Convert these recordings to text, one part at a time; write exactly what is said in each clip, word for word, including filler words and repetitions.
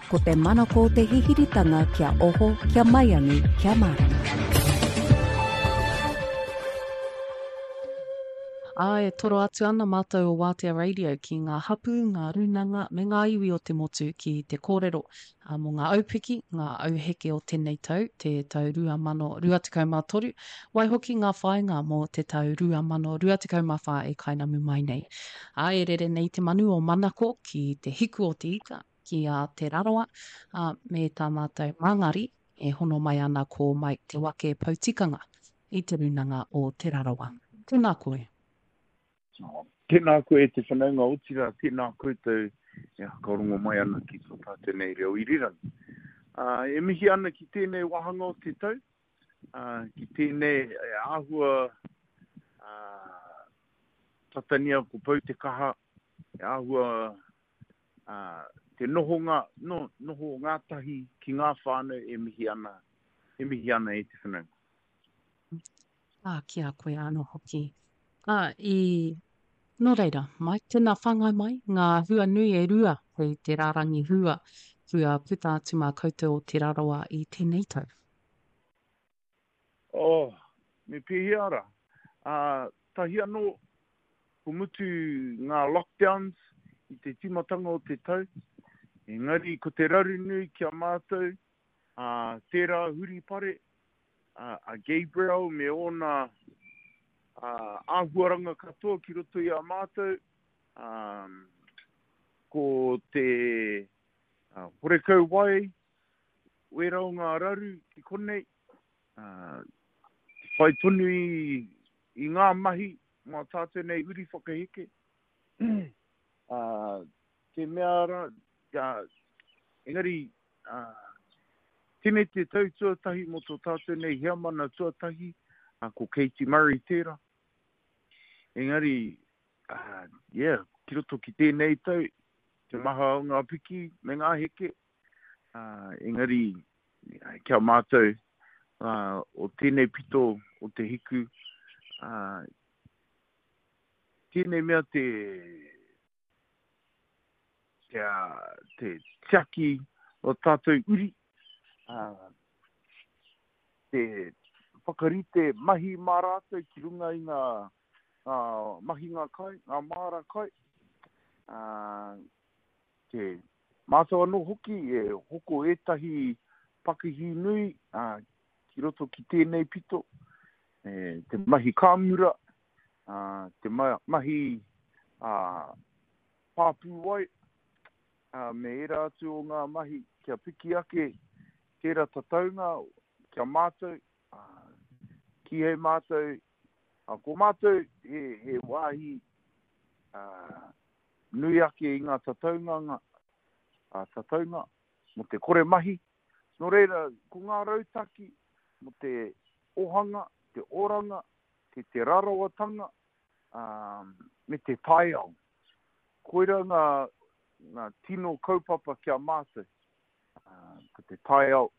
Ko te manako o te hihiritanga kia oho, kia maiangi, kia mārama. Ā, e toro atu ana mātou o Wātea Radio ki ngā hapū, ngā rūnanga me ngā iwi o te motu ki te kōrero ā, mō ngā aupiki, ngā auheke o tēnei tau, te tau rua mano rua tekau mā toru, waihoki ngā whāinga mō te tau rua mano rua tekau mā whā e kainamu mai nei. Ā, e rere nei te manu o Manako ki te hiku o te ika, ki a Te Rarawa, ā, me tā mātou māngari e hono mai ana ko Mike Te Wake Poutikanga i Te Rūnanga o Te Rarawa. Tēnā koe. Tēnā koe e te whanaunga, otirā tēnā koutou e whakarongo mai ana ki tō tātou nei reo irirangi. Uh, e mihi ana ki tēnei wāhanga o te tau, uh, ki tēnei e āhua uh, tatania ko pau te kaha, e āhua uh, te nohonga, no, noho ngātahi ki ngā whānau e mihi ana, e mihi ana e te whanaunga. Ā, ki a koe anō hoki. Ā, i, nō reira, Mike, tēnā whāngai mai ngā hua nui e rua kei te rārangi hua kua puta atu mā koutou o Te Rarawa i tēnei tau. Oh, me pēhea rā? Ā, tahi anō, ko mutu ngā lockdowns i te tīmatanga o te tau, engari ko te raru nui ki a mātou, ā, tērā huripare, a, a Gabriel me ōna āhuaranga katoa ki roto i a mātou, um, ko te uh, horekau wai, wera o ngā raru ki konei, uh, te whai tonu i, i ngā mahi mā tātou nei uri whakaheke. uh, te mea rā, uh, engari, uh, tēnei te tau tuatahi mō tō tātou nei heamana tuatahi, uh, ko Katie Murray tērā. Engari, uh, yeah, ki roto ki tēnei tau, te maha o ngā piki me ngā heke, uh, engari, kia mātou uh, o tēnei pito o te hiku, uh, tēnei mea te, te, uh, te tiaki o tātou uri, uh, te whakarite mahi mā rātou ki runga i ngā, ngā mahinga kai, ngā māra kai, uh, te mātou anō hoki e hoko ētahi pakihi nui uh, ki roto ki tēnei pito, e, te mahi kāmura, uh, te ma mahi uh, pāpūwai, uh, me ērā atu o ngā mahi kia piki ake tērā tataunga kia mātou, uh, ki hei mātou, uh, ko mātou he, he wāhi uh, nui ake i ngā tataunga, uh, tataunga mō te kore mahi. Nō reira, ko ngā rautaki mō te ohanga, te oranga, te te rarawatanga, um, me te taiao. Koira ngā, ngā tino kaupapa kia mātou. Uh, ko te taiao,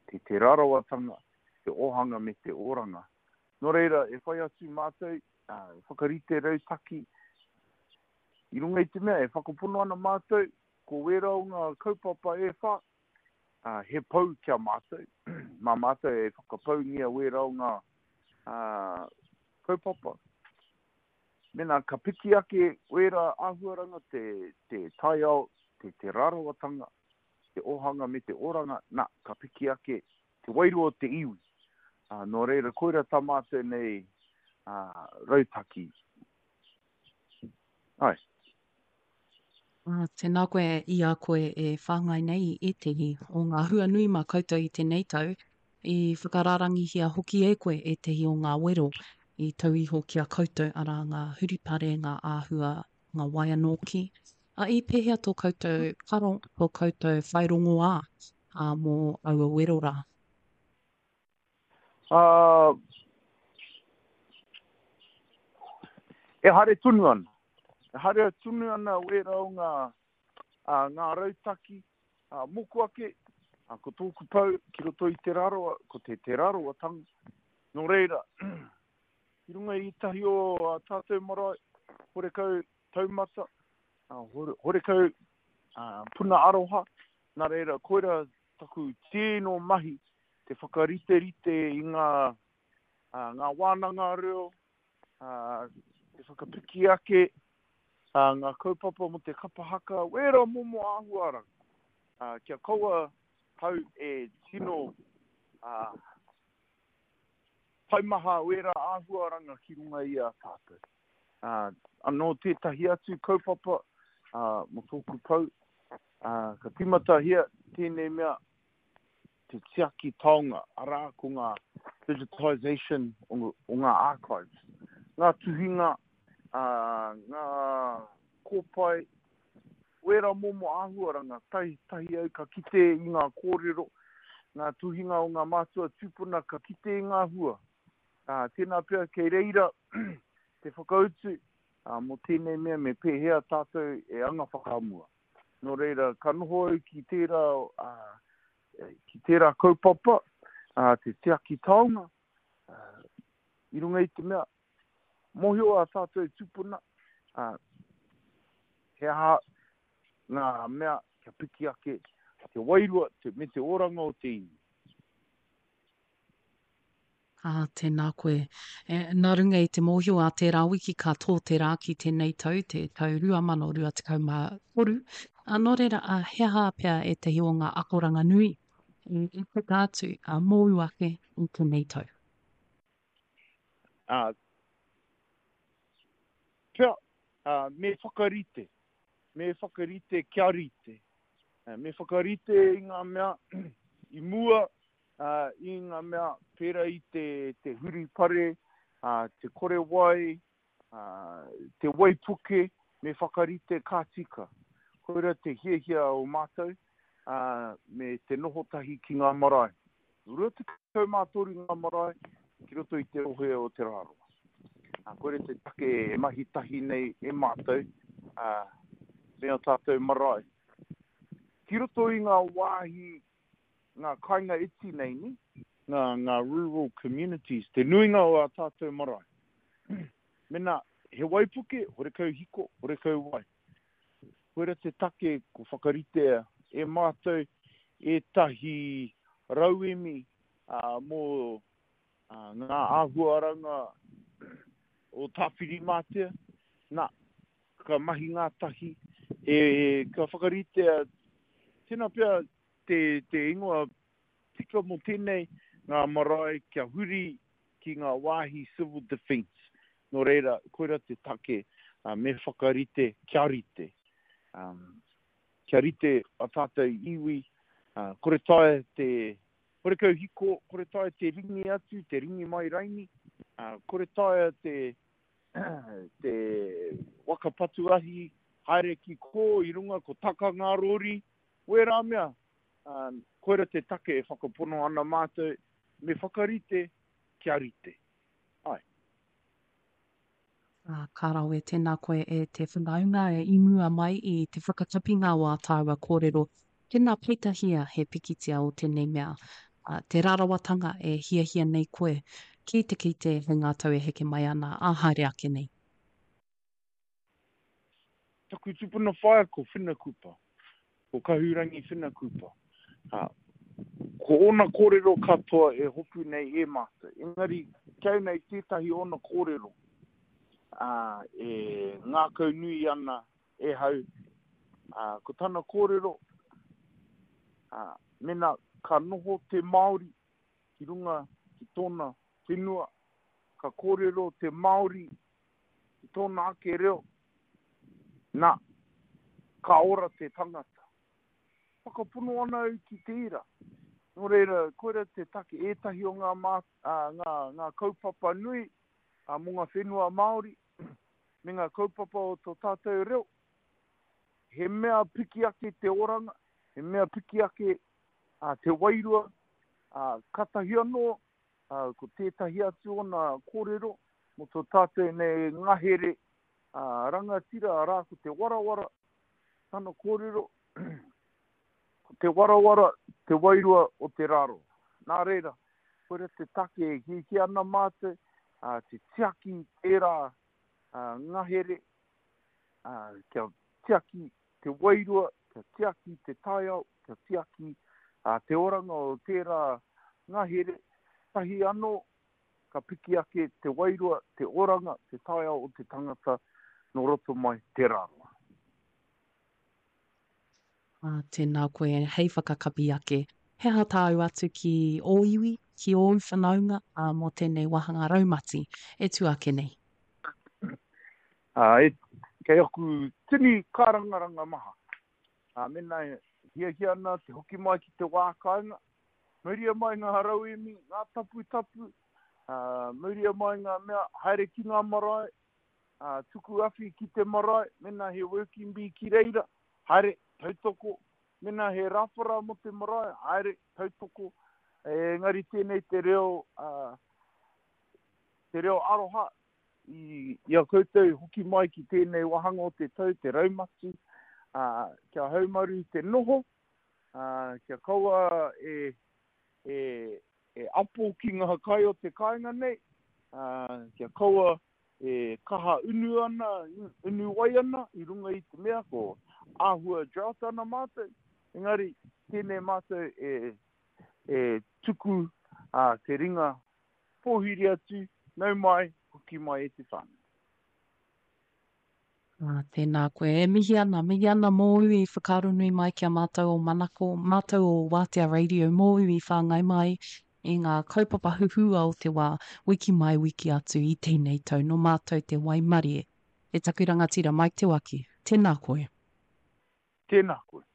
te te rarawatanga, te ohanga me te oranga. Nō reira, e whai atu mātou, uh, whakarite rautaki, i runga i te mea, e whakapono ana mātou, ko wera o ngā kaupapa e whā, uh, he pau kia mātou. Mā mātou e whakapaungia wera o ngā uh, kaupapa. Mena ka piki ake wera āhuaranga te, te taiao, te, te rarawatanga, te ohanga me te oranga, nā, ka piki ake te wairua o te iwi. Uh, nō reira, koira tā mātou nei uh, rautaki. Ai. Ah, tēnā koe i a koe e whāngai nei i ētehi o ngā hua nui mā koutou i tēnei tau, i whakarārangihia hoki e koe ētehi o ngā wero i tau iho ki a koutou, arā ngā huripare, ngā āhua, ngā wai anōki. A i pēhea tō koutou karo, tō koutou whai rongoā ā, mō aua wero rā? Uh, e haere tonu ana. E haere tonu ana wera o ngā, uh, ngā rautaki, uh, mōku ake, uh, ko tōku pau ki roto i Te Rarawa, ko te Te Rarawatanga. Nō reira, ki runga i tahi o uh, tātou marae, horekau taumata, uh, hore, horekau uh, puna aroha, Nā reira, koira taku tino mahi te whakariterite i ngā, uh, ngā wānanga reo, uh, te whakapiki ake, uh, ngā kaupapa mo te kapahaka, wera momo āhuaranga. Uh, kia kaua hau e tino uh, taumaha wera āhuaranga ki runga i a tātou. Uh, anō tētahi atu kaupapa uh, mo tōku pau, uh, ka timatahia tēnei mea te tiaki taonga, arā ko ngā digitization o, o ngā archives. Ngā tuhinga, uh, ngā kōpae, wera momo āhuaranga, tahi, tahi au ka kite i ngā kōrero, ngā tuhinga o ngā mātua tūpuna ka kite i ngā hua. Uh, tēnā pea kei reira te whakautu uh, mō tēnei mea me pēhea tātou e anga whakamua. Nō reira, ka noho au ki tērā, uh, ki tērā kaupapa, uh, te tiaki taonga, uh, i runga i te mea, mōhio a tātou tūpuna, uh, he aha ngā mea kia piki ake te wairua te, me te oranga o te iwi. Ā, tēnā koe. E, nā runga i te mōhio a tērā wiki ka tō te rā ki tēnei tau, te tau rua mano rua tekau mā toru. A, nō reira, a, he aha pea ētahi o ngā akoranga nui i, i puta atu a, mōu ake i tēnei tau? Uh, pea, uh, me whakarite. Me whakarite kia rite. Uh, me whakarite i ngā mea i mua, uh, i ngā mea pērā i te, te huripare, uh, te kore wai, uh, te waipuke, me whakarite ka tika. Koira te hiahia o mātou, uh, me te noho tahi ki ngā marae. Rua tekau mā toru ngā marae ki roto i te rohe o Te Rarawa. Uh, koira te take e mahi tahi nei e mātou, uh, me o tātou marae. Ki roto i ngā wāhi, ngā kāinga iti nei ni, ngā, ngā rural communities, te nuinga o a tātou marae. Mena, he waipuke, horekau hiko, horekau wai. Koira te take ko whakaritea e mātou ētahi rauemi uh, mō uh, ngā āhuaranga o Tāwhirimātea. Nā, ka mahi ngā tahi, e, ka whakaritea, tēnā pea te, te ingoa tika mō tēnei ngā marae kia huri ki ngā wāhi civil defence. Nō reira, koira te take uh, me whakarite kia rite. Um, kia rite a tātou iwi, uh, kore taea te, horekau hiko, kore taea te ringi atu, te ringi mai raini, uh, kore taea te, te waka patu ahi, haere ki kō i runga ko taka ngā rori, wērā mea, uh, koira te take e whakapono ana mātou, me whakarite kia rite. Ai. Ā, ka rawe, tēnā koe e te whanaunga e i mua mai i te whakatapinga o ā tāua kōrero. Tēnā peitahia he pikitia o tēnei mea, ā, te rarawatanga e hiahia nei koe ki te kite hei ngā tau e heke mai ana, ā haere ake nei. Taku tupuna whaea ko Whina Kupa, ko Kahurangi Whina Kupa. Uh, ko ōna kōrero katoa e hopu nei e mātou. Engari, kau nei tētahi ōna kōrero uh, e ngākau nui ana e hau. Uh, ko tana kōrero, uh, mena ka noho te Māori ki runga ki tōna whenua, ka kōrero te Māori ki tōna ake reo, nā, ka ora te tangata. Whakapono ana au ki tērā. Nō reira, koira te take ētahi o ngā, mā, uh, ngā, ngā kaupapa nui uh, mō ngā whenua Māori, me ngā kaupapa o tō tātou reo. He mea piki ake te oranga, he mea piki ake uh, te wairua, uh, katahi anō, uh, ko tētahi atu ona kōrero, mō tō tātou nei ngahere uh, rangatira, arā ko te warawara, tana kōrero, ko te warawara, te wairua o te raro. Nā reira, koira te take e hiahia ana mātou, uh, te tiaki tērā uh, ngahere, uh, kia tiaki te wairua, kia tiaki te taiao, kia tiaki uh, te oranga o tērā ngahere, tahi anō ka piki ake te wairua, te oranga, te taiao o te tangata nō roto mai te rāroa. Ah, tēnā koe, hei whakakapi ake. He aha tāu atu ki ō iwi, ki ōu whanaunga uh, mō tēnei wāhanga raumati e tū ake nei? Uh, e, kei aku tini kārangaranga maha. Uh, mena e hiahia ana te hoki mai ki te wā kāinga, mauria mai ngā rauemi, ngā taputapu, uh, mauria mai ngā mea, haere ki ngā marae, uh, tuku awhi ki te marae, mena he working bee ki reira, haere, tautoko, mena he rāwhara mō te marae, haere, tautoko, engari tēnei te reo, uh, te reo aroha, i, i a koutou hoki mai ki tēnei wāhanga o te tau, te raumati, uh, kia haumaru te noho, uh, kia kaua e, e, e apo ki ngā kai o te kāinga nei, uh, kia kaua e kaha unu ana, unu wai ana, i runga i te mea ko āhua drought ana mātou, engari tēnei mātou e, e tuku uh, te ringa pōhiri atu, nau mai, hoki mai e te whānau. Ah, tēnā koe. E mihi ana, mihi ana mōu i whakaaronui mai ki a mātou o Manako, mātou o Wātea Radio, mōu i whāngai mai i ngā kaupapa huhua o te wā, wiki mai, wiki atu i tēnei tau, nō mātou te waimarie. E taku rangatira Mike Te Waki, tēnā koe. Tēnā koe.